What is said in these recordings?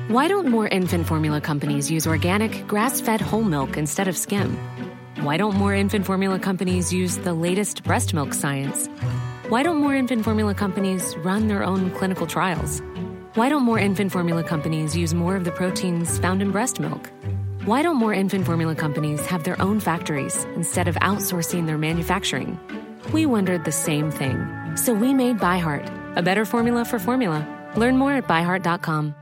Why don't more infant formula companies use organic, grass fed whole milk instead of skim? Why don't more infant formula companies use the latest breast milk science? Why don't more infant formula companies run their own clinical trials? Why don't more infant formula companies use more of the proteins found in breast milk? Why don't more infant formula companies have their own factories instead of outsourcing their manufacturing? We wondered the same thing. So we made ByHeart, a better formula for formula. Learn more at byheart.com.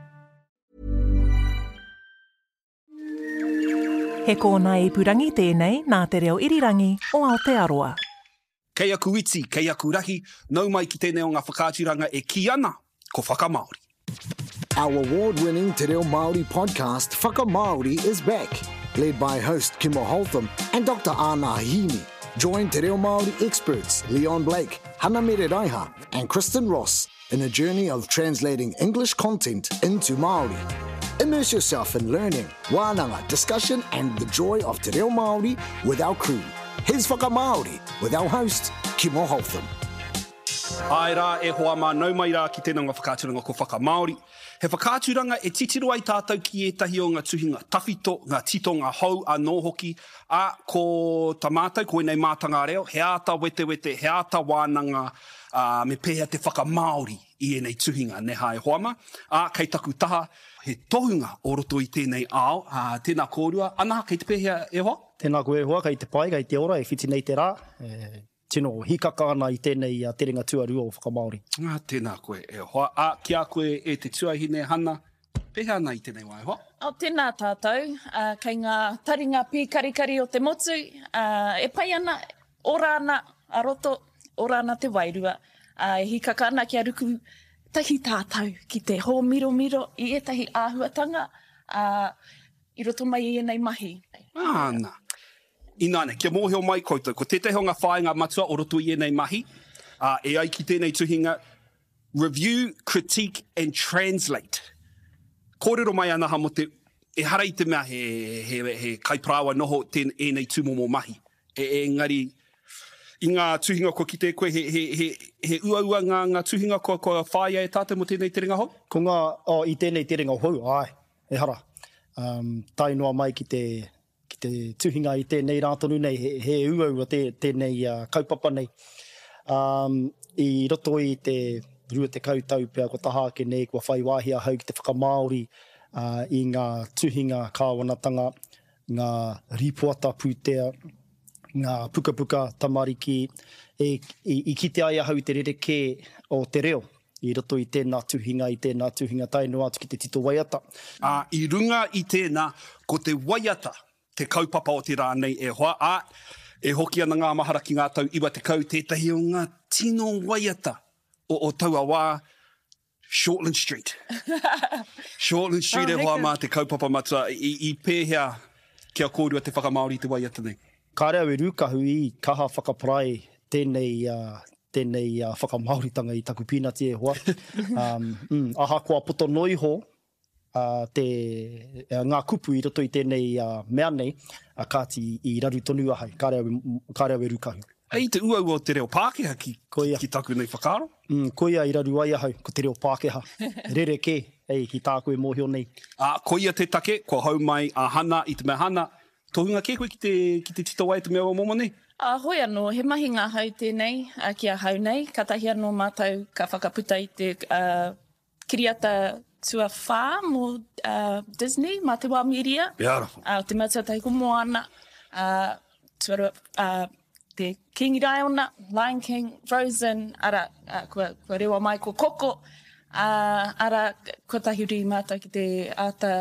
He kōnae ipurangi tēnei nā Te Reo Irirangi o Aotearoa. Kei aku iti, kei aku rahi, nau mai ki tēnei o ngā whakaaturanga e kī ana, ko Whakamāori. Our award-winning Te Reo Māori podcast Whakamāori is back, led by host Kimo Holtham and Dr Ana Hini. Join Te Reo Māori experts Leon Blake, Hana Mere Raiha and Kristen Ross in a journey of translating English content into Māori. Immerse yourself in learning, wānanga, discussion and the joy of Te Reo Māori with our crew. Here's Whakamāori with our host, Kimo Holtham. Āe rā, e hoa mā, nau mai rā ki tēnā ngā whakaaturanga ko Whakamāori. He whakaaturanga e titiro ai tātou ki ētahi o ngā tuhinga tawhito, ngā titonga hou anō hoki, ā, ko ta mātou, ko ēnei mātanga reo, he āta wetewete, he āta wānanga, ā, me pēhea te whakamāori i ēnei tuhinga, nē hā e hoa mā. Ā, kei taku taha, he tohunga o roto i tēnei ao, ā, tēnā kōrua, ana, kei te pēhea e hoa? Tēnā koe e hoa, kei te pai, kei te ora, e whiti nei te rā, e. Tino hikaka ana i tēnei terenga tuarua o Whakamāori. Ā, tēnā koe e hoa. Ā, ki a koe e te tuahine, Hana, pēhea ana i tēnei wā e hoa? Ā, tēnā tātou, ā, kei ngā taringa pīkarikari o te motu, ā, e pai ana, ora ana a roto, ora ana te wairua, ā, e hikaka ana kia ruku tahi tātou ki te hōmiromiro i ētahi āhuatanga, ā, i roto mai i ēnei mahi. Āna. Ināianei, kia mōhio mai koutou, ko tētahi o ngā whāinga matua o roto i ēnei mahi, ā, e ai ki tēnei tuhinga, Review, critique and translate. Kōrero mai anaha mō te, ehara i te mea he, he, he kaiparāoa noho tēn, ēnei tūmomo mahi. E, engari, i ngā tuhinga kua kite e koe, he, he, he, he uaua ngā, ngā tuhinga kua, kua whāia e tātou mō tēnei terenga hou? Ko ngā, oh, i tēnei terenga hou, āe, ehara. Um, tae noa mai ki te, Ki te tuhinga i tēnei rā tonu nei, he, he uaua tē, tēnei uh, kaupapa nei. Um, I roto i te 20 tau pea kua taha ake nei, kua whai wāhi ahau ki te whakamāori uh, i ngā tuhinga kāwanatanga, ngā rīpoata pūtea, ngā pukapuka tamariki, e, i, i kite ai ahau i te rerekē o te reo i roto i tēnā tuhinga, i tēnā tuhinga, tae noa atu ki te tito waiata. Ā, i runga i tēnā, ko te waiata te kaupapa o te rā nei e hoa, ā, e hoki ana ngā mahara ki ngā tau 90, tētahi o ngā tino waiata o, o taua wā, Shortland Street. Shortland Street e hoa mā te kaupapa matua, i, i pēhea ki a kōrua te whakamāori i te waiata nei? Kāre au e rūkahu i kaha whakaparae tēnei, tēnei whakamāoritanga i taku pīnati e hoa. Um, mm, ahakoa poto noa iho uh, te, uh, ngā kupu i roto i tēnei uh, mea nei, uh, kāti i raru tonu ahau, kāre au, kāre au e rūkahu. Hei te uaua o te reo Pākehā ki, koia, ki taku nei whakaaro. Mm, koia i raru ai ahau, ko te reo Pākehā. Rerekē, ei, ki tāku e mōhio nei. Ā, koia te take, kua hou mai a Hana i te mea Hana, Tohunga kē koe ki te, ki te tito wai te mea ua momo nei? Ā, hoi anō, he mahi ngahau tēnei ki ahau nei, kātahi anō mātou ka whakaputa i te kiriata tuawhā mō Disney, mā te wā mīria. Beautiful. Ā, te mea tuatahi ko Moana, ā, tuarua, ā, te Kīngi Raiona, Lion King, Frozen, arā, kua, kua rewa mai ko Koko, ā, arā, kua tahuri mātou ki te āta,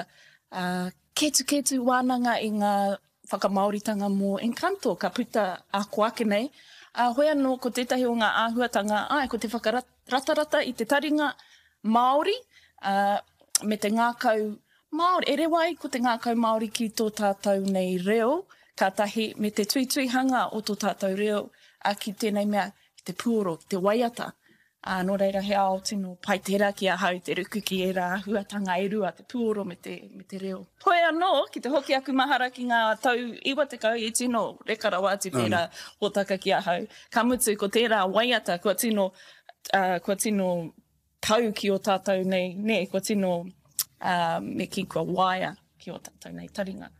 ā, Ketuketu wānanga i ngā whakamāoritanga mō Encanto ka puta ā ko ake nei, ā, hoi anō ko tētahi o ngā āhuatanga, āe, ko te whakaratarata i te taringa Māori, ā, me te ngākau Māori, e rewa ai ko te ngākau Māori ki tō tātou nei reo, ka tahi, me te tuituihanga o tō tātou reo, ā, ki tēnei mea, ki te puoro, ki te waiata. Ā, nō reira he ao tino pai tērā ki ahau te ruku ki ērā āhuatanga e rua, te puoro me te, me te reo. Hoi anō, ki te hoki aku mahara ki ngā tau 90 i tino reka rawa atu tērā hōtaka ki ahau. Ka mutu ko tērā waiata kua tino, ā, kua tino tau ki ō tātou nei, nē, kua tino, Ā, me kī kua waia ki ō tātou nei taringa.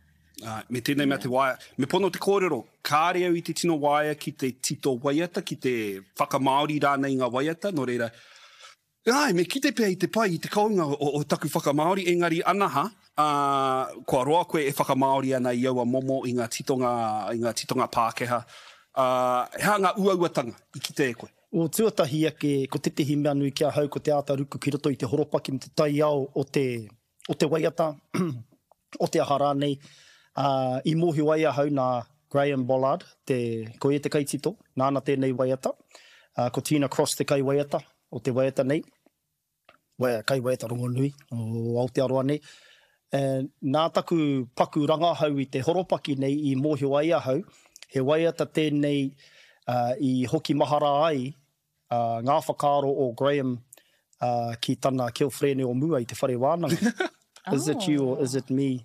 Āe, me tēnei mea te waia. Me pono te kōrero, kāre au i te tino waia ki te tito waiata, ki te whakamāori rānei i ngā waiata, nō reira, āe, me kite pea i te pai, i te kounga o, o taku whakamāori, engari anaha, ā, kua roa koe e whakamāori ana i aua momo, i ngā titonga, i ngā titonga Pākehā, ā, he aha ngā uauatanga i kitea e koe? O tuatahi ake, ko tētehi mea nui ki ahau ko te āta ruku ki roto i te horopaki me te taiao o te, o te waiata, o te aha rānei. Ā, i mōhio ai ahau nā Graham Bollard, te, ko ia te kaitito, nāna tēnei waiata. Ā, ko Tina Cross te kaiwaiata o te waiata nei. Wea, kaiwaiata rongonui o Aotearoa nei. E, nā taku paku rangahau i te horopaki nei i mōhio ai ahau, he waiata tēnei uh, i hoki mahara ai uh, ngā whakaaro o Graham uh, ki tana kilfrene o mua i te whare wānanga. Is it you or is it me?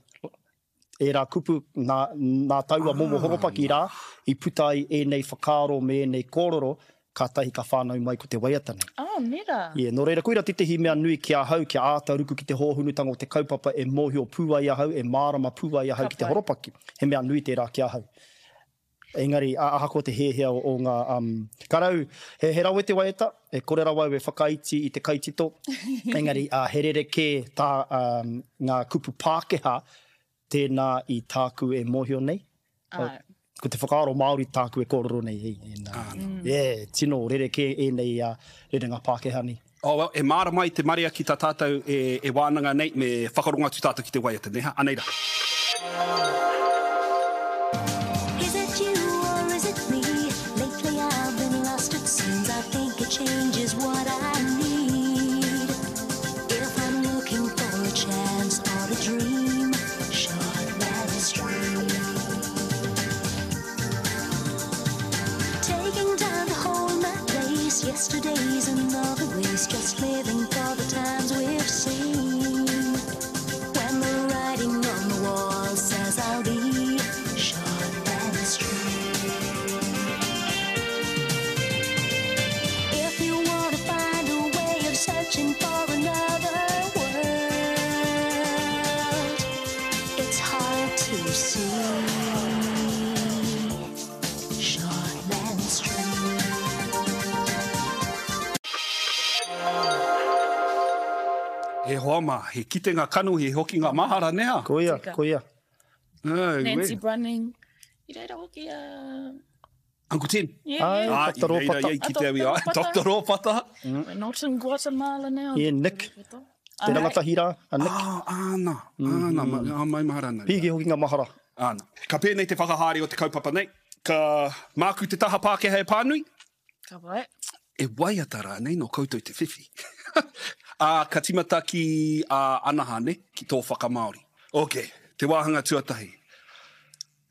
Ērā kupu, nā, nā taua momo horopaki rā i puta ai ēnei whakaaro me ēnei kōrero, kātahi ka whānau mai ko te waiata nei. Oh, nē rā? Yeah, nō reira, koira tētehi mea nui ki ahau, kia āta ruku ki te hōhonutanga o te kaupapa e mōhio pū ai ahau, e mārama pū ai ahau ki te horopaki. He mea nui tērā ki ahau. Engari, ahakoa te hiahia o ngā, um, ka rau, he, he rawe te waiata, e kore rawa au e whakaiti i te kaitito, engari, uh, he rerekē tā um, ngā kupu Pākehā tēnā i tāku e mōhio nei. Āe. Ko te whakaaro Māori tāku e kōrero nei. E, e, nā. Mm. Yeah, tino rerekē ēnei uh, rerenga Pākehā nei. Oh, well, e mārama ai te marea ki tā tātou e, e wānanga nei, me whakarongo atu tātou ki te waiata, nē ha? Anei rā. Is it you or is it me? Lately I've been lost it seems I think a change is what I need If I'm looking for a chance or a dream Shortland Street Taking time to hold my place Yesterday's another waste Just living for the times we've seen When the writing on the wall says I'll be Shortland Street If you wanna find a way of searching for another world It's hard to see Shortland Street. E hoa mā, he kitenga kanohi, he hokinga mahara, nē hā? Koia, koia. Nancy Brunning. I reira hoki a... Uncle Tim. Yeah, yeah. Ah, Dr. i reira Ropata. ia i kite au i a Dr. Ropata. We're not in Guatemala now. Yeah, Nick. Te rangatahi rā, a Nick. Ah, āna, āna, mm -hmm. mai mahara ana. Pīki hoki ngā mahara. Āna. Ka pēnei te whakahaere o te kaupapa nei. Ka māku te taha Pākehā e pānui. Ka pai. E waiata rānei nō koutou te whiwhi. Ā, ka timata ki a Anaha, ne, ki tō whakamāori. Ok, te wāhanga tuatahi.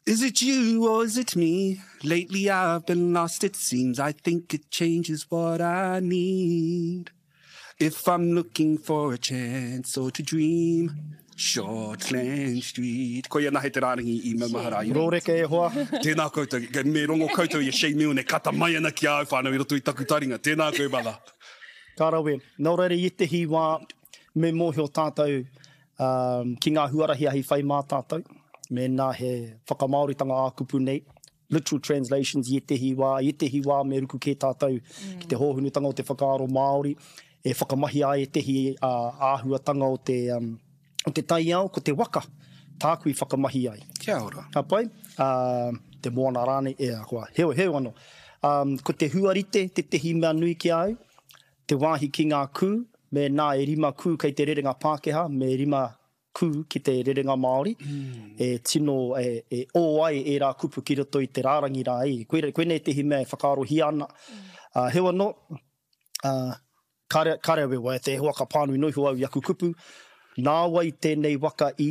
Is it you or is it me? Lately I've been lost it seems I think it changes what I need If I'm looking for a chance or to dream Shortland Street Koia nahe te rārangi i maumahara ai. Rōreka e hoa. Tēnā koutou. Me rongo koutou i a Shane Milne e kata mai ana ki a au whānau i roto i taku taringa. Tēnā koe brother. Ka rawe. Nō reira i ētehi wā me mōhio tātou ki ngā huarahi ahi whai mā tātou, mēnā he whakamāoritanga ā-kupu nei, literal translations i ētehi wā, i ētehi wā me ruku kē tātou ki te hōhonutanga o te whakaaro Māori, e whakamahia ai ētehi āhuatanga o te, o te taiao, ko te waka tāku i whakamahi ai. Kia ora. Ka pai? Te moana rānei, e, koa, heoi, heoi anō. Ko te huarite tētehi mea nui ki a au, Te wāhi ki ngā kū, mēnā e rima kū kei te rerenga Pākehā, me rima kū ki te rerenga Māori, e tino, e, e ō ai ērā kupu ki roto i te rārangi rā. E, koira, koinei tētehi mea e whakaarohia ana. Ā, heoi anō, ā, kāre, kāre au e waiata, e hoa ka pānui noa iho au i aku kupu, nāwai tēnei waka i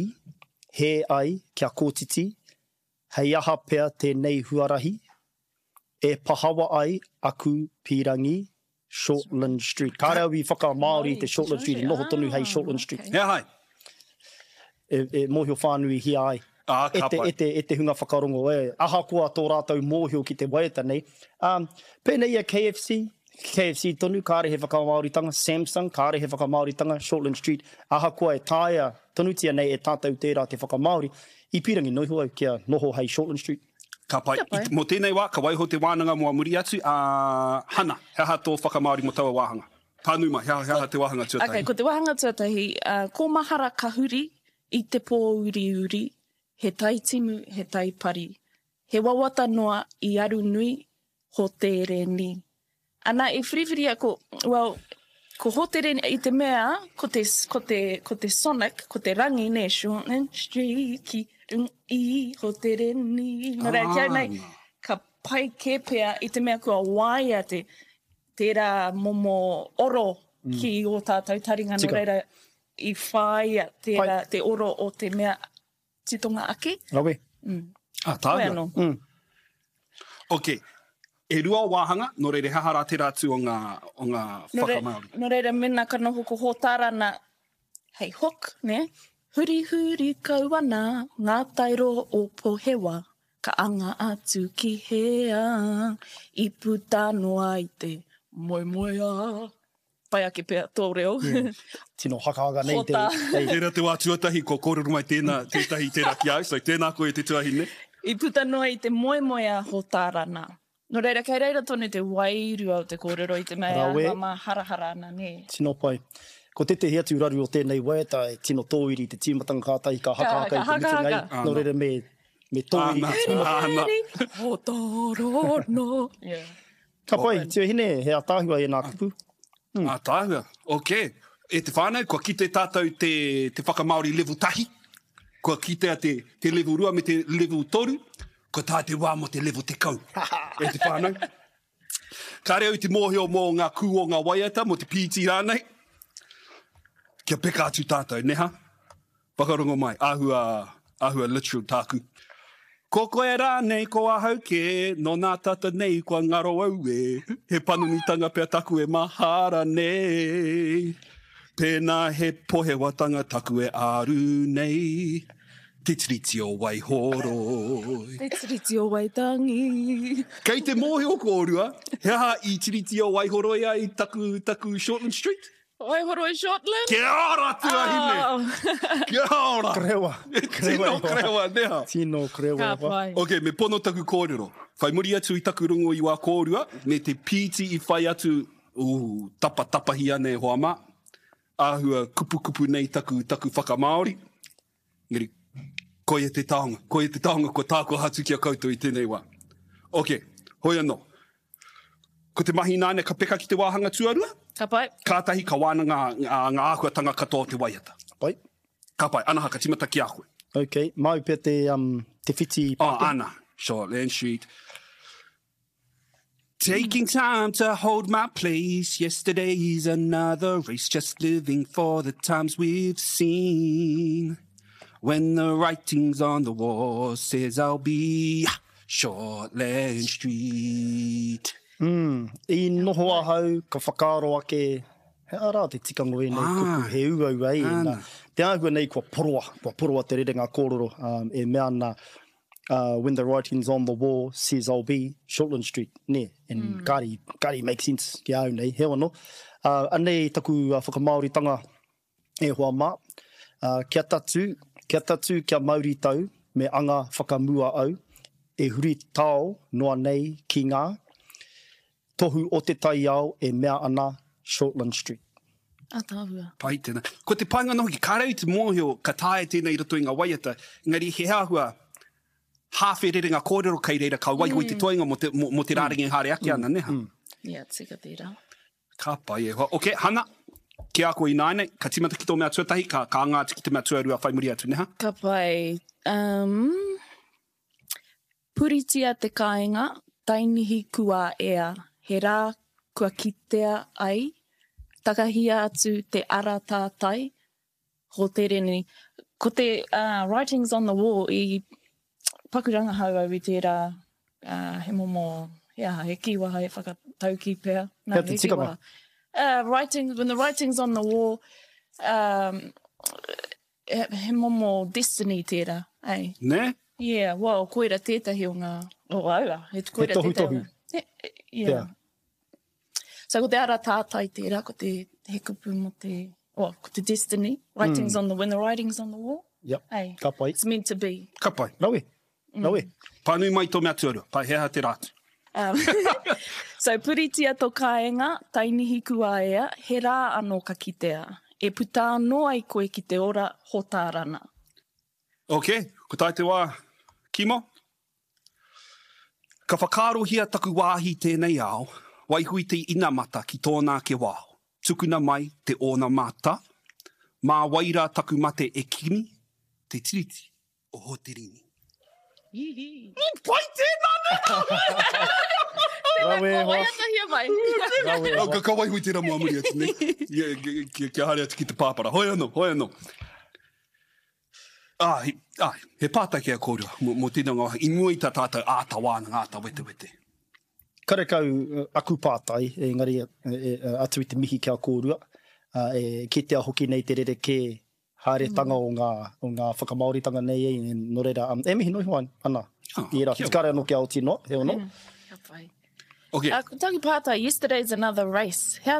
hē ai kia kōtiti, hei aha pea tēnei huarahi, E pahawa ai aku pīrangi Shortland Street. Kāre au i whakamāori i te Shortland Street, i noho tonu hei Shortland Street. He aha ai? E, e mōhio whānuihia ai. Ā, e ka te, pai. e te, e te hunga whakarongo, e, ahakoa tō rātou mōhio ki te waiata nei. Um, pēnei i a KFC, KFC tonu, kāre he whakamāoritanga, Samsung, kāre he whakamāoritanga, Shortland Street, ahakoa e taea tonutia nei e tātou tērā te whakamāori, i pīrangi noa iho au kia noho hei Shortland Street. Ka pai. Ka pai. Mō tēnei wā, ka waiho te wānanga mō a muri atu, ā, Hana, he aha tō whakamāori mō taua wāhanga? Pānui mai, he aha, he aha te wāhanga tuatahi? Okay, ko te wāhanga tuatahi, ā, ko mahara ka huri i te pōuriuri, he tai timu, he tai pari. He wawata noa i aru nui, Hotereni. Ana i whiriwhiria ko, well, ko Hotereni, i te mea, ko te, ko te, ko te sonic, ko te rangi, nē, Shortland Street ki runga i Hotereni. Nō reira, ki au nei, ka pai kē pea i te mea kua waia te, tērā momo oro ki ō tātou taringa, nō reira, i whāia tērā, te oro o te mea titonga ake. Rawe. Mm. Ah, tāua. Koe anō. Mm. Ok. E rua o wāhanga, nō reira, he aha rā tērā atu o ngā, o ngā whakamāori? Nō reira, mēnā ka noho ko Hōtārana hei hook, nē? Hurihuri kau ana ngā tairo o Pohewa, ka anga atu ki hea, i puta noa i te moemoeā. Pai ake pea tō reo. Yeah. Tino hakahaka nei te... Tērā te wā tuatahi kua kōrero mai tēnā, tētahi tērā ki a au, so tēnā koe e te tuahine. I puta noa i te moemoeā Hōtārana. Nō reira, kei reira tonu te wairua o te kōrero i te mea e āhua māharahara ana, nē? Tino pai. Ko tētehi atu raru o tēnei waiata e tino tōiri i te tīmatanga kātahi ka hakahaka i te mutunga i, nō reira me, me tōiri te tīmatanga. Huri, huri, Hōtārana. Yeah. Ka pai, tuahine, he ataahua ēnā kupu. Mm. Ataahua, ok. E te whānau, kua kite tātou te, te whakamāori level tahi, kua kitea te, te level rua me te level toru, kua tae te wā mō te level tekau. E te whānau. Kāre au i te mōhio mō ngā kū o ngā waiata, mō te pīti rānei. Kia peka atu tātou, neha? Whakarongo mai, āhua, āhua literal tāku. Ko koe rānei, ko ahau kē, nō nā tata nei kua ngaro au e. He panonitanga pea taku e mahara nei. Pēnā he pohewatanga taku e āru nei. Te Tiriti o Waihoroi. Te Tiriti o Waitangi. Kei te mōhio kōrua, he aha i Tiriti o Waihoroi ai taku, taku Shortland Street? Waihoroi Shortland. Kia ora tuahine! Oh. Kia ora! Krewa. Tino krewa, neha. Tino krewa. Ka pai. Ok, me pono taku kōrero. Whai muri atu i taku rongo i wā kōrua, me te pīti i whai atu, ooh, tapatapahi ana e hoa mā. Āhua kupukupu nei taku, taku whakamāori. Engari, koia te taonga, koia te taonga kua tākoha atu ki a koutou i tēnei wā. Ok, hoi anō. Ko te mahi nāne ka peka ki te wāhanga tuarua? Ka pai. Kātahi ka wānanga ngā āhuatanga katoa o te waiata. Ka pai. Ka pai. Anaha, ka tīmata ki a koe. Ok, māu pea te, um, te whiti Pākehā. Oh, ana. Shortland Street. Taking time to hold my place Yesterday's another race Just living for the times we've seen When the writing's on the wall Says I'll be Shortland Street Mm, i noho ahau, ka whakaaro ake, he aha rā te tikanga o ēnei kupu, he uaua e, nā, te āhua nei kua poroa, kua poroa te rerenga kōrero, um, e mea ana, uh, when the writing's on the wall, says I'll be, Shortland Street, nē, and mm. kāre, kāre make sense ki a au nei, heoi anō. Uh, anei taku uh, whakamāoritanga e hoa mā, uh, kia tatū, kia tatū, kia mauritau, me anga whakamua au, e huri tao noa nei ki ngā tohu o te taiao e mea ana Shortland Street. Ataahua. Pai tēnā. Ko te painga noho ki, kāre au i te mōhio ka taea tēnei i roto i ngā waiata, engari he āhua hāwhe rerenga kōrero kei reira ka waiho i te toenga mō te, mō, mō te rārangi e haere ake ana, nē ha? Ia, tika tērā. Ka pai e hoa. Ok, Hana, ki a koe ināianei, ka tīmata ki tō mea tuatahi, ka, ka anga atu ki te mea tuarua whai muri atu, nē ha? Ka pai. Um, Puritia te kāinga, tainihi kua ea, he rā kua kitea ai, takahia atu te ara tātai, Hotereni. Ko te writings on the wall i paku rangahau au i tērā, he momo, he aha, he kīwaha, he whakataukī pea. He te tikanga? Writing, when the writing's on the wall, um, he, he momo destiny tērā, ei. Nē? Yeah, well, koira tētahi o ngā, o aua, he koira he tohutohu. tētahi o ngā. He, yeah. yeah. So ko te ara tātai tērā, ko te, he kupu mō te, well, ko te destiny, writings mm. on the, when the writing's on the wall. Yep. Hey, ka pai. It's meant to be. Ka pai. Rawe. Mm. Rawe. Pānui mai tō mea tuarua. Pai, he aha te rā atu? Um, so, puritia tō kāenga, tainihi kuaea, he rā anō ka kitea. E puta anō ai koe ki te ora hōtārana. Ok, ko tae te wā, Kimo? Ka whakaarohia taku wāhi i tēnei ao, waiho i te inamata ki tōna ake wao, tukuna mai te ōna mata, mā wai rā taku mate e kimi, te tiriti o Hoterini. I pai tēnā nē! Tēnā koa, waiatahia mai. Rawe e hoa. Ka waiho i tērā mō muri atu nei, kia haere atu ki te pāpara. Hoi anō, hoi anō. Āe, āe, he pātai ki a kōrua mō, mō tēnei o ngā wāhanga, i mua i tā tātou āta wānanga, āta wetewete. Karekau aku pātai, engari atu i te mihi ki a kōrua, e kitea hoki nei te rerekē haeretanga o ngā, o ngā whakamāoritanga nei, e, nō reira, e mihi noa iho ana i ērā whiti. Kāre anō kia oti noa, heoi anō. Ka pai. Okay. Ko taku pātai, yesterday's another race. Hea,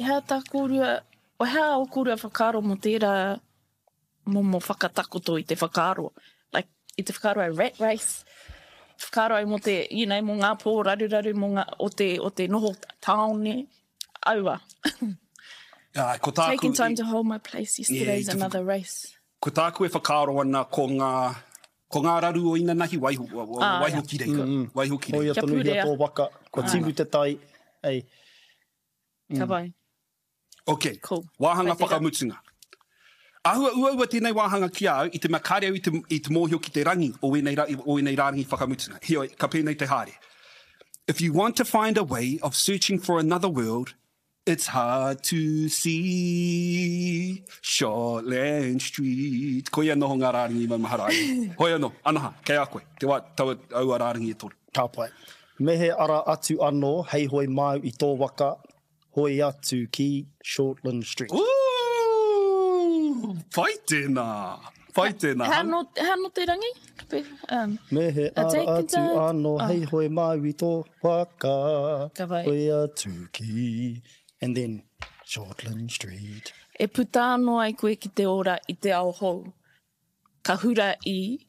hea tā kōrua, hea ō kōrua whakaaro mō tērā momo whakatakoto i te whakaaro. Like, i te whakaaro ai rat race, whakaaro ai mō te, you know, mō ngā pō raruraru, mō ngā, o te, o te noho tāone, aua. Āe, ko tāku... Taking time to hold my place, yesterday's yeah, another race. Ko tāku e whakaaro ana ko ngā, ko ngā raru o inanahi, waiho, ah, waiho ki reira. Mm -hmm. Waiho ki reira. Hoia tonuhia tō waka, kua timu te tai, ei. Mm. Ka pai. Ok, cool. Wāhanga whakamutunga. Āhua uaua tēnei wāhanga ki a au i te mea kāre au i te, i te mōhio ki te rangi o ēnei, o ēnei rārangi whakamutunga. Heoi, ka pēnei te haere. If you want to find a way of searching for another world, it's hard to see Shortland Street. Koia noho ngā rārangi i maumahara ai. Hoi anō, Anaha, kei a koe, te wā, taua, aua rārangi e toru. Ka pai. Me he ara atu anō hei hoe māu i tō waka, Hoe atu ki Shortland Street. Ooh! Pai tēnā! Pai tēnā. Hea no, hea no te rangi? Um, Me he ara atu anō oh. hei hoe māu i tō waka. Ka pai. Hoe atu ki, and then Shortland Street. E puta anō ai koe ki te ora i te ao hou. Ka hura i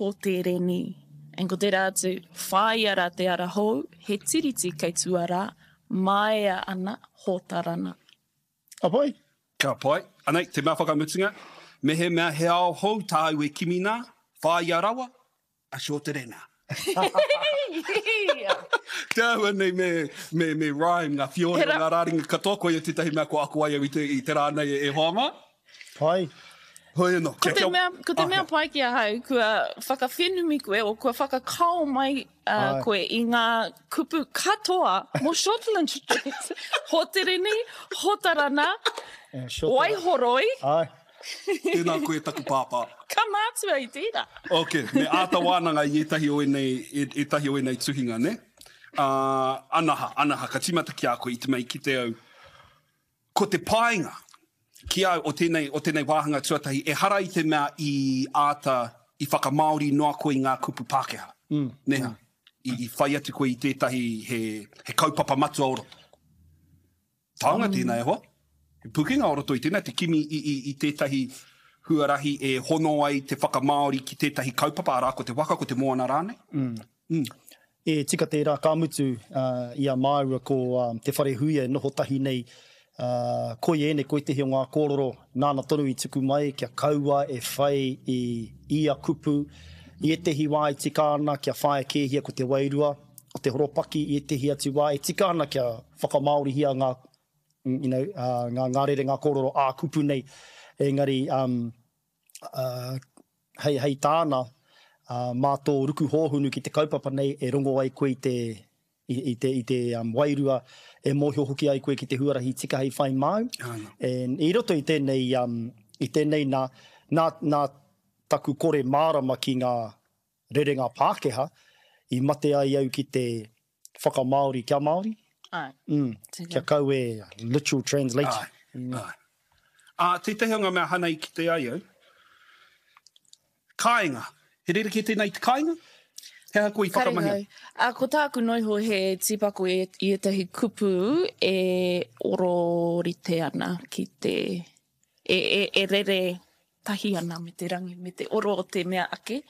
Hōtereni. And ko tērā atu, whāia rā te ara hou, he tiriti kei tua rā, māia ana, hōtarana. Ka pai. Ka pai. Anei, te mea whakamutunga, mehemea he ao hou tāu e kimi nā, whāia rawa, a Shorterena. Te āhua nei me, me, me rhyme ngā whiore o ngā rāringa katoa, koia tētahi mea kua ako ai au i te, i te rā nei e hoa mā. Pai. Hoi anō. Ko te mea, ko te mea pai ki ahau, kua whakawhenumi koe, o kua whakakao mai uh, koe i ngā kupu katoa mō Shortland Street. Hotereni, Hotarana, Waihoroi. Ai. Tēnā koe taku pāpā. Ka mātua i tērā. Ok, me āta wānanga i ētahi o ēnei, ētahi o ēnei tuhinga, nē? Uh, anaha, anaha, ka tīmata ki a koe i te mea i kite au. Ko te painga ki au o tēnei, o tēnei wāhanga tuatahi, ehara i te mea i āta, i whakamāori noa koe i ngā kupu Pākehā. Mm. Nē hā? I, i whai atu koe i tētahi he, he kaupapa matua o roto. Taonga tēnā e hoa. He pukenga o roto i tēnā, te kimi i, i, i tētahi huarahi e hono ai te whakamāori ki tētahi kaupapa, arā, ko te waka, ko te moana rānei. Mm. Mm. E tika tērā, ka mutu uh, i a māua ko uh, Te Wharehuia e noho tahi nei, uh, koi ēnei, ko ētehi o ngā kōrero nāna tonu i tuku mai kia kaua e whai i ia kupu, i ētehi wā e tika ana kia whāia kēhia ko te wairua, o te horopaki i ētehi atu wā e tika ana kia whakamāorihia ngā, you know, ngā, ngā rerenga kōrero ā-kupu nei, engari um, uh, hei, hei tāna, uh, mā tō ruku hōhunu ki te kaupapa nei e rongo ai koe i te, i, i te, i te um, wairua, e mōhio hoki ai koe ki te huarahi tika hei whai māu. And i roto i tēnei, um, i tēnei nā, nā, nā taku kore mārama ki ngā rerenga Pākehā, i mate ai au ki te whakamāori kia Māori. Āe. Mm, kia kau e literal translation. Āe, āe. Ā, tētahi o ngā mea hana i kite ai au, kāinga. He rerekē tēnā i te kāinga? He aha koe i whakamahia? Karekau. Ā, ko tāku noa iho he tīpako i ētahi kupu e ororite ana ki te, e, e, e rere tahi ana me te rangi, me te oro o te mea ake.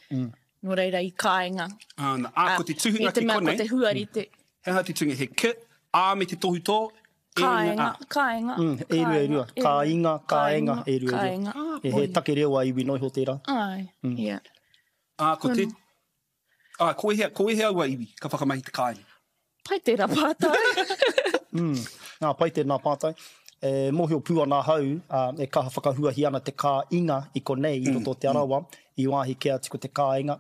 Nō reira i kāinga. Āna, ā, ko te tuhinga ki konei. I te mea ko te huarite. He aha te tuhinga? He ki, ā me te tohutō, e ringa, ā. Kāinga, kāinga. E rua, e rua. Kāinga, kāenga, e rua, e rua. He take reo a iwi noa iho tērā. Āe, ia. Ā, ko te, ā, ko ēhea, ko ēhea aua iwi ka whakamahi te kāinga? Pai tērā pātai. Mm, nā, pai tēnā pātai. E mōhio pū ana ahau, ā, e kaha whakahuahia ana te kāinga i konei, i roto o Te Arawa, i wāhi kē atu ko te kāinga.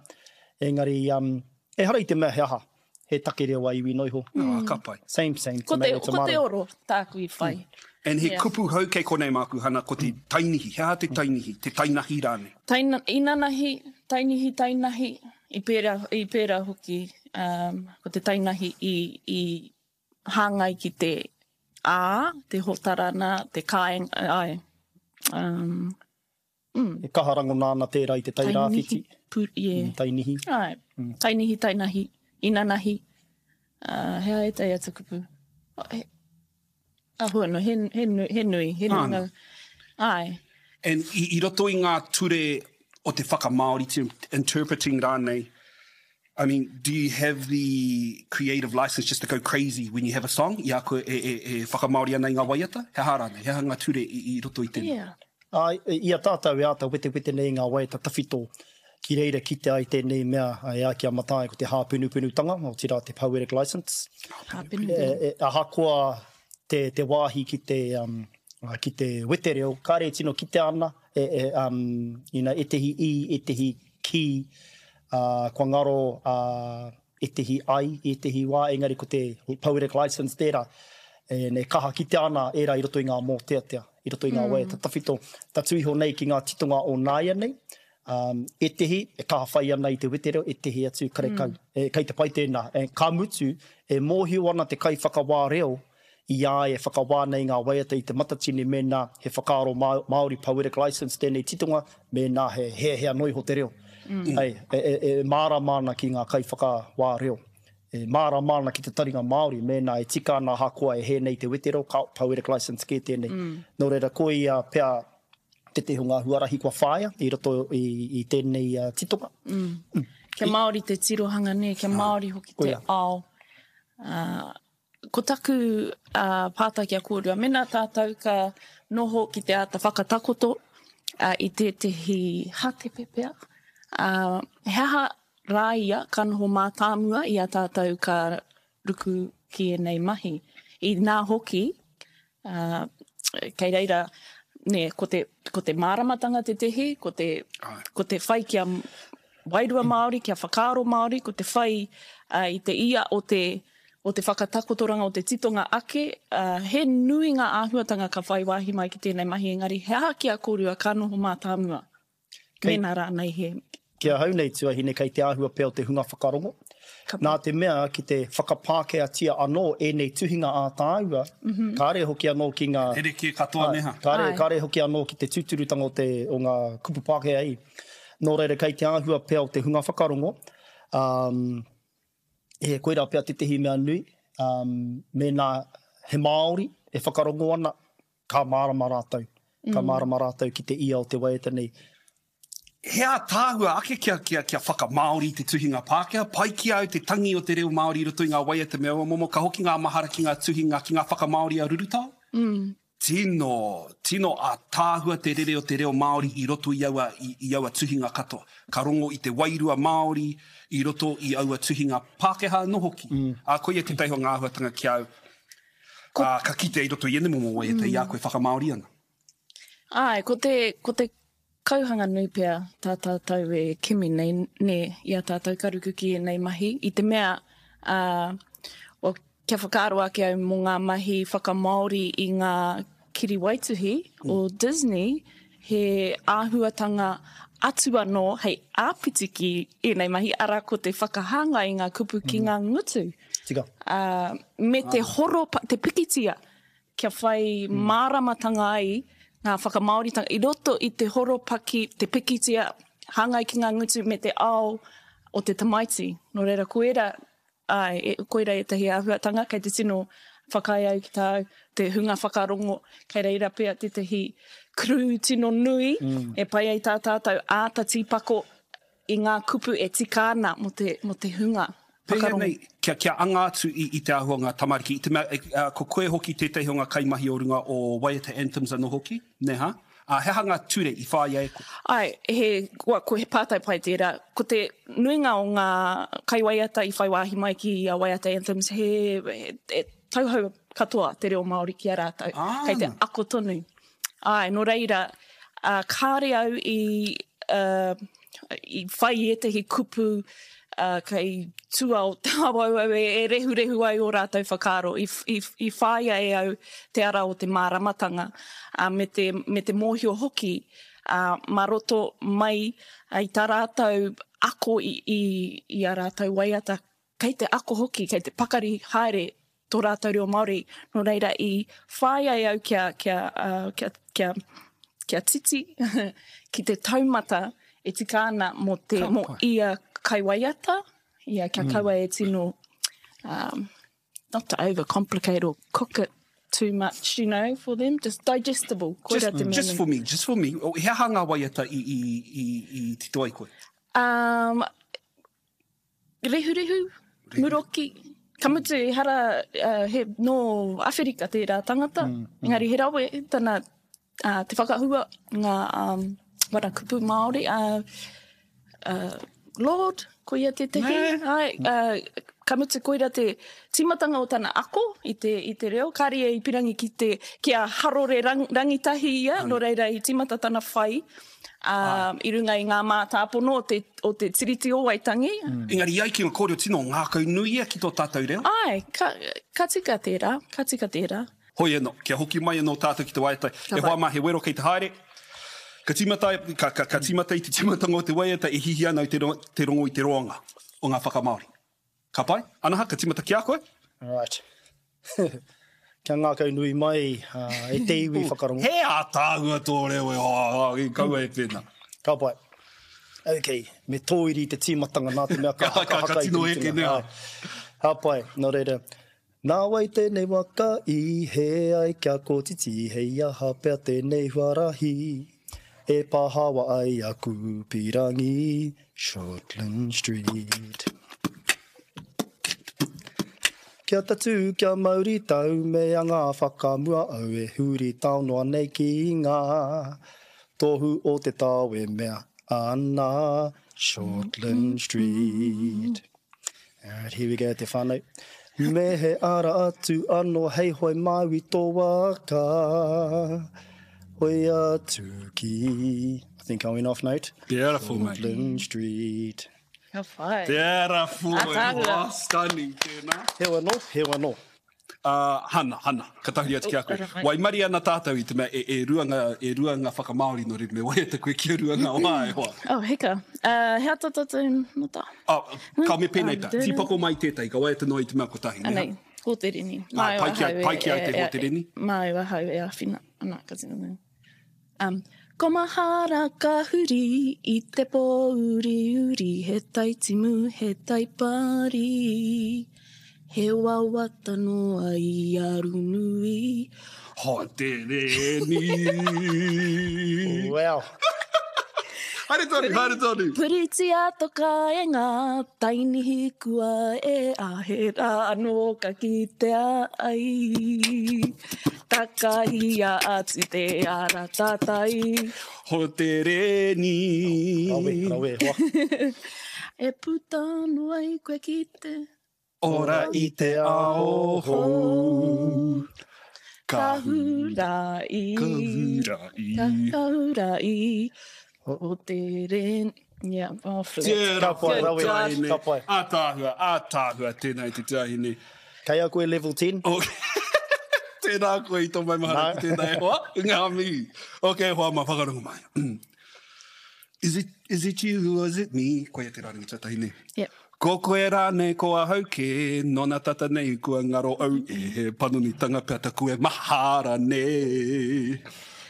Engari, um, ehara i te mea he aha, he take reo a iwi noa iho. Ā, ka pai. Same, same, Ko te, tomato, ko te oro tāku i whai. And he kupu hou kei konei māku, Hana, ko te tainihi. He aha te tainihi? Te tainahi rānei? Taina, inanahi, tainihi, tainahi, i pērā, i pērā hoki, um, ko te tainahi i, i hāngai ki te ā, te hōtarana, te kāinga, āe, um, mm. E kaha rangona ana tērā i te Tai Rāwhiti. Tainihi, pū, yeah. Mm, tainihi. Āe, mm. tainihi, tainahi, inanahi, uh, he aha ētahi atu kupu? Oh, he, Ahua no, he, he, nui, he nui, he nui ngā, āe. And i, i roto i ngā ture o te whakamāori, te interpreting rānei, I mean, do you have the creative license just to go crazy when you have a song, i a koe e, e, e whakamāori ana i ngā waiata? He aha rānei? He aha ngā ture i, i roto i tēnā? Yeah. Āe, i a tātou e āta wetewete nei i ngā waiata tawhito, ki reira kitea ai tēnei mea e ai ki a Mataia ko te hāpenupenutanga, otirā te poetic licence. Hāpenupenu. Ahakoa te, te wāhi ki te, um, ki te wetereo, kāre e tino kitea ana, e, e, um, you know, ētehi i, ētehi ki, uh, kua ngaro uh, ētehi ai i ētehi wā, engari ko te poetic licence tērā, e, e kaha kitea ana ērā i roto i ngā mōteatea, i roto i ngā waiata tawhito, tatū iho nei ki ngā titonga o nāianei, um, ētehi e kaha whai ana i te wetereo, ētehi atu karekau. Mm. E, kei te pai tēnā. E, ka mutu, e mōhio ana te kaiwhakawā reo i a ia e whakawā nei ngā waiata i Te Matatini mēnā he whakaaro Māori poetic licence tēnei titonga, mēnā he heahea noa iho te reo. Hei, e mārama ana ki ngā kaiwhakawā reo. E mārama ana ki te taringa Māori mēnā e tika ana ahakoa e hē nei te wetereo, ka poetic licence kē tēnei. Nō reira, koia pea tētehi o ngā huarahi kua whāia i roto i tēnei titonga. Kia Māori te tirohanga, nē, kia Māori hoki te ao. Ko taku pātai ki a kōrua, mēnā tātou ka noho ki te āta whakatakoto i tētehi hātepe pea, he aha rā ia ka noho mātāmua i a tātou ka ruku ki ēnei mahi? Inā hoki, kei reira, nē, ko te, ko te māramatanga tētehi, ko te, ko te whai kia wairua Māori, kia whakaaro Māori, ko te whai i te ia o te, o te whakatakotoranga, o te titonga ake, he nui ngā āhuatanga ka whai wāhi mai ki tēnei mahi, engari he aha ki a kōrua ka noho mātāmua? Kei, Mēnā rānei he. Ki ahau nei tuahine kei te āhua pea o te hunga whakarongo. Nā te mea ki te whakapākehātia anō ēnei tuhinga ā tāua, kāre hoki anō ki ngā. Rerekē katoa neha. Kāre, kāre hoki anō ki te tūturutanga o te, o ngā kupu Pākehā i. Nō reira kei te āhua pea o te hunga whakarongo, ā, he koirā pea tētehi mea nui, ā, mēnā he Māori e whakarongo ana, Ka mārama rātou. Ka mārama rātou ki te ia o te waiata nei. He ātaahua ake kia, kia, kia whakamāori i te tuhinga Pākehā. Pai ki a au te tangi o te reo Māori i roto i ngā waiata me aua momo. Ka hoki ngā mahara ki ngā tuhinga, ki ngā whakamāori a Rurutao. Tino, tino ātaahua te rere o te reo Māori i roto i aua, i, i aua tuhinga katoa. Ka rongo i te wairua Māori i roto i aua tuhinga Pākehā anō hoki. Ā, koia tētahi o ngā āhuatanga ki a au. Ko... Ā, ka kitea i roto i ēnei momo waiata i a koe whakamāori ana. Āe, ko te, ko te kauhanga nui pea tā tātou e kimi nei, nē, i a tātou ka ruku ki ēnei mahi, i te mea, ā, well, kia whakaaro ake au mō ngā mahi whakamāori i ngā kiriwaituhi o Disney, he āhuatanga atu anō hei āpiti ki ēnei mahi, arā, ko te whakahāngai i ngā kupu ki ngā ngutu. Tika. Ā, me te horo, te pikitia, kia whai māramatanga ai ngā whakamāoritanga i roto i te horopaki, te pikitia, hāngai ki ngā ngutu me te ao o te tamaiti. Nō reira, ko ērā, āe, e, koirā ētahi āhuatanga kei te tino whakaae au ki tāu, te hunga whakarongo, kei reira pea tētahi crew tino nui e pai ai tā tātou āta tīpako i ngā kupu e tika ana mō te, mō te hunga Pēhea whakarongo. nei, kia, kia anga atu i, i te āhua o ngā tamariki, i te mea, e, ko koe hoki tētahi o ngā kaimahi o runga o Waiata Anthems anō hoki, nē hā? Ā, he aha ngā ture i whāia e koe? Āe, he, kua, ko he pātai pai tērā. Ko te nuinga o ngā kaiwaiata i whai wāhi mai ki a Waiata Anthems, he, he, he tauhou katoa te reo Māori ki a rātou. Ah. Kei te ako tonu. Āe, nō reira, ā, kāre au i, ā, i whai i ētahi kupu, ā, kei tua o te awauau e, e rehurehu ai ō rātou whakaaro. I, i, i whāia e au te ara o te māramatanga, ā, me te, me te mōhio hoki, ā, mā roto mai i tā rātou ako i, i, i ā rātou waiata, Kei te ako hoki, kei te pakari haere tō rātou reo Māori, nō reira i whāia e au kia, kia, kia, kia, kia titi ki te taumata e tika ana mō te, mō ia kaiwaiata, ia kia kaua e tino, um, not to overcomplicate or cook it too much, you know, for them, just digestible, koira te mea Just nui. for me, just for me, he aha ngā waiata i, i, i, i tito ai koe? Um, Rehurehu, muroki, ka mutu ehara he nō Awherika tērā tangata, engari he rawe tana te whakahua ngā wana kupu Māori, Lord, ko ia tētehi, āe, ka mutu koira te tīmatanga o tana ako i te, i te reo, kāre ia i pirangi ki te, kia harore rangitahi ia, nō reira i tīmata tana whai ā, i runga i ngā mātāpono o te, o te Tiriti o Waitangi. Engari i ai ki ngā kōrero tino ngākau nui ia ki tō tātou reo. Āe, ka, ka tika tērā, ka tika tērā. Hoi anō, kia hoki mai anō tātou ki te waiata, Ka e hoa pai. mā he wero kei te haere. Ka tīmata, ka, ka, ka tīmata i te tīmatanga o te waiata e hihi ana i te, te rongo i te roanga o ngā whakamāori. Ka pai? Anaha, ka tīmata ki a koe? Right. Kia ngākau nui mai e te iwi whakarongo. He ātaahua tō reo e hoa, kaua e pēnā. Ka pai. Ok, me tōiri te tīmatanga nā te mea ka haka haka i te Ka tino eke mutunga. nē. Ka pai, nō reira. Nā wai tēnei waka i hē ai kia kotiti hei aha pea tēnei huarahi e pahawa ai aku pirangi Shortland Street. Kia tatū, kia mauri tau, me anga whakamua au e huri tao noa nei ki ngā tohu o te tao e mea ana Shortland Street. Alright, here we go te whānau. Me he ara atu anō hei hoe māu i tō waka. Hoe atu ki... I think I went off note. Beautiful, mate. Shortland Street. Ka whai. Beautiful. Ataahua. Oh, stunning tēnā. Heo anō, heo anō. Uh, Hana, Hana, ka tahuri atu ki a koe. Waimarie ana tātou i te mea e, e rua ngā, e rua ngā whakamāori nō reira me waiata koe kia rua ngā wā e hoa. Oh, heka. Uh, he ata tātou nota. Oh, ka me pēnei tā, tīpako mai tētahi, ka waiata noa i te mea kotahi. Anei, hōterini. Ah, pai ki a, pai ki a te hōterini. Māu ahau e āwhina. Ana, ka tino nui. Um, ko mahara ka huri i te pōuriuri, he tai timu, he tai pari, he wawata noa i a Runui. Hotereni. Wow. Haere tonu, haere tonu. Puritia to kāenga, tainihi kua e a he rā anō ka kitea ai. Takahia atu te ara tātai. Hotereni. Rawe, rawe, hoa. E puta anō ai koe ki te. Ora i te ao hou. Ka hura i. Ka hura i. Ka hura i. O te ren. Yeah, oh, flip. Tērā Ka pai, rawe, tuahine. ka pai. Ātaahua, ātaahua, tēnā i te tuahine. Kei a koe level 10? Oh. Tēnā koe i tō maumahara No. ki tēnā e hoa. Ngā mihi. Ok, hoa mā, whakarongo mai. Is it, is it you or is it me? Koia te rārangi tuatahi nei. Yep. Ko koe rānei, ko ahau kē, nona tata nei kua ngaro au e, he panonitanga pea taku e mahara nei.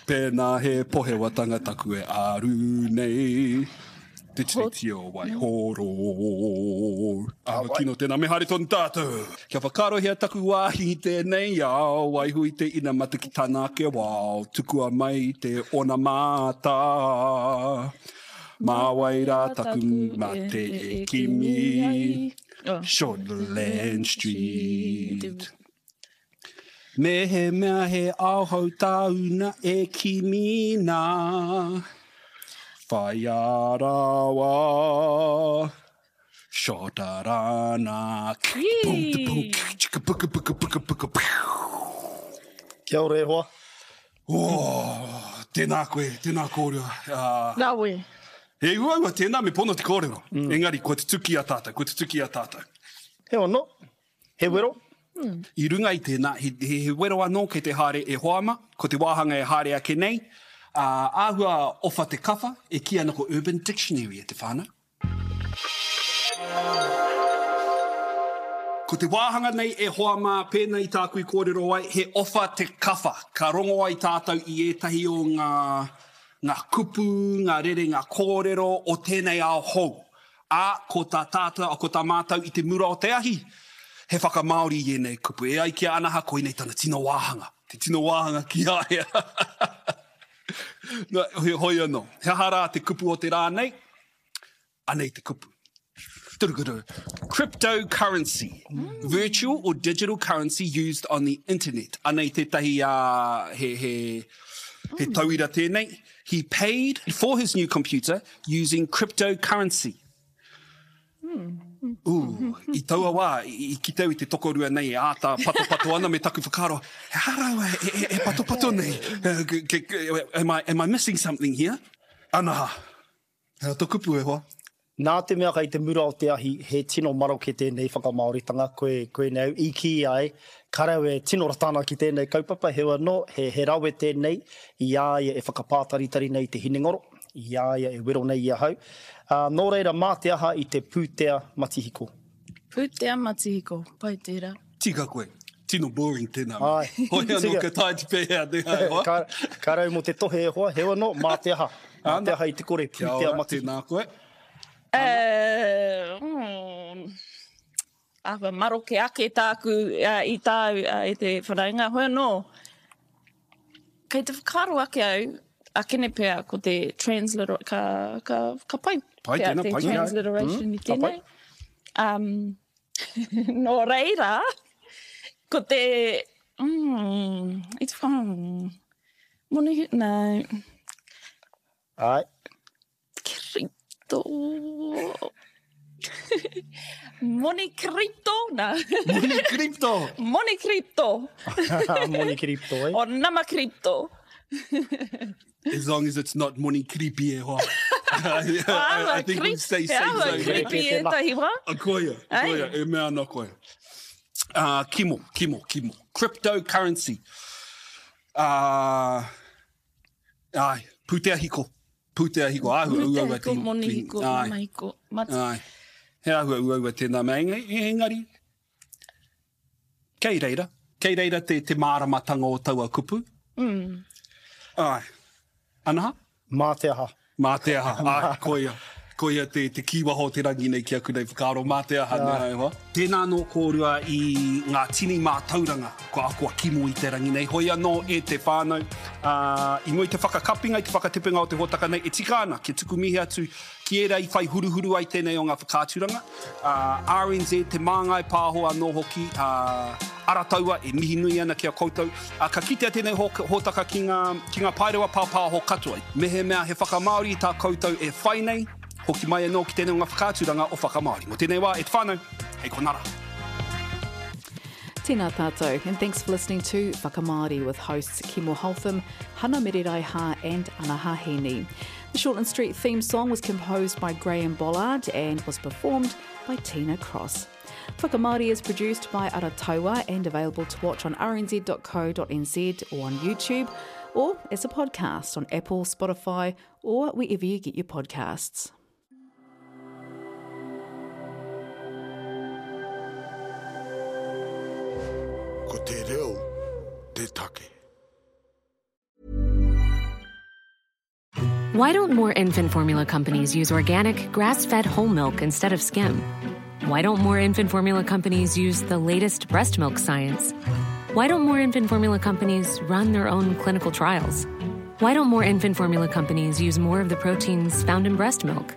Pēnā he pohewatanga taku e āru nei. Te Tiriti o Waihoro. Āhua kino tēnā, me haere tonu tātou. Kia whakaarohia taku wāhi i tēnei ao, waiho i te inamata ki tana ake wao, tukua mai te onamata. Mā wai rā taku mate e kimi, Shortland Street. Mehemea he ao hou tāu na e kimi nā, whaia rawa, Shotarana. Kia ora e hoa. Oh, tēnā koe, tēnā kōrua. Uh, Rawe. He uaua tēnā me pono te kōrero. Mm. Engari, kua tutuki a tātou, kua tutuki a tātou. He ono, he wero. Mm. I runga i tēnā, he, he, he wero anō kei te haere e hoa ama, ko te wāhanga e haere ake nei, uh, āhua owha te kawha, e kī ana ko Urban Dictionary e te whānau. Ko te wāhanga nei e hoa mā, pēnā i tāku i kōrero ai, he owha te kawha. Ka rongo ai tātou i ētahi o ngā, ngā kupu, ngā rerenga kōrero o tēnei ao hou. Ā, ko tā tātou, ko tā mātou i te mura o te ahi, he whakamāori i ēnei kupu. E ai ki a Anaha, koinei tana tino wāhanga. Te tino wāhanga ki a ia. Nā, hoi anō. He aha rā te kupu o te rā nei? Anei te kupu. Cryptocurrency. Virtual or digital currency used on the internet. Anei tētahi uh, he, he, he tauira tēnei. He paid for his new computer using cryptocurrency. Ooh, i taua wā, i, i kite au i te tokorua nei e āta patopato ana me taku whakaaro, he aha rāua e, e, e patopato nei? Am I, am I missing something here? Anaha, He aha to kupu e hoa? Nā te mea kei te mura o te ahi, he tino maroke tēnei whakamāoritanga, koe, koinei au i kī ai, kare au e tino rata ana ki tēnei kaupapa, heoi anō, he, he rawe tēnei i a ia e whakapātaritari nei i te hinengaro, i a ia e wero nei i ahau. Ā, nō reira, mā te aha i te pūtea matihiko? Pūtea matihiko, pai tērā. Tika koe. Tino boring tēnā mea. Āe. Hoi anō ka taea te pēhea te hea e hoa. Ka, ka rau mō te tohe e hoa, heoi anō, mā te aha. Mā te aha i te kore, Kia pūtea ora, matihiko. tēnā koe. Uh, āhua maroke ake tāku uh, i tāu uh, e te whanaunga. Hoi anō, kei te whakaaro ake au, akene pea ko te transliteration, ka, ka, ka pai, Pai pea tēnā, te pai tēnā. transliteration mm, i ka pai. tēnei. Um, Nō reira, ko te, mm, it's, mm, moni, no. Āe. Crypto. Moni crypto, nā. Moni crypto! Moni crypto. Moni crypto, eh? O nama crypto. As long as it's not moni creepy e hoa. I, I, I think we stay safe zone. Creepy e tahi wā. A koia, koia, e mea ana koe. Uh, kimo, kimo, kimo. Cryptocurrency. Uh, ai, pūtea hiko. Pūtea hiko, āhua uaua. Pūtea hiko, moni hiko, mana hiko. Mat. Ai, he āhua uaua tēnā mea, engari, Kei reira. Kei reira te, te māramatanga o taua kupu. Mm. Āe. Anaha? Mā te aha. Mā te aha. Āe, koia. Koia te, te kīwaha o te rangi nei ki aku nei whakaaro. Mā te aha, nē, e hoa. Tēnā anō kōrua i ngā tini mātauranga kua ako a Kimo i te rangi nei. Hoi anō e te whānau, ā, i mua i te whakakapinga, i te whakatepenga o te hōtaka nei, e tika ana kia tuku mihi atu ki ērā i whai huruhuru ai tēnei o ngā whakaaturanga, ā, RNZ, Te Māngai Pāho anō hoki, ā, Arataua e mihi nui ana ki a koutou. Ā, ka kitea tēnei hōtaka ki ngā, ki ngā paerewa pāpāho katoa. Mehemea he whakamāori tā koutou e whai nei, hoki mai anō ki tēnei o ngā whakaaturanga o Whakamāori. Mō tēnei wā, e te whānau, hei konā rā. Tēnā tātou, and thanks for listening to Whakamāori with hosts Kimo Holtham, Hana Mereraiha and Anaha Heaney. The Shortland Street theme song was composed by Graham Bollard and was performed by Tina Cross. Whakamāori is produced by Arataua and available to watch on rnz.co.nz or on YouTube or as a podcast on Apple, Spotify or wherever you get your podcasts. Ko te reo te take. Why don't more infant formula companies use organic, grass fed whole milk instead of skim? Why don't more infant formula companies use the latest breast milk science? Why don't more infant formula companies run their own clinical trials? Why don't more infant formula companies use more of the proteins found in breast milk?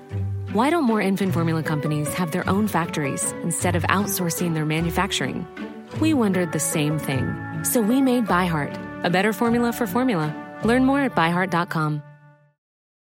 Why don't more infant formula companies have their own factories instead of outsourcing their manufacturing? We wondered the same thing. So we made ByHeart, a better formula for formula. Learn more at byheart.com.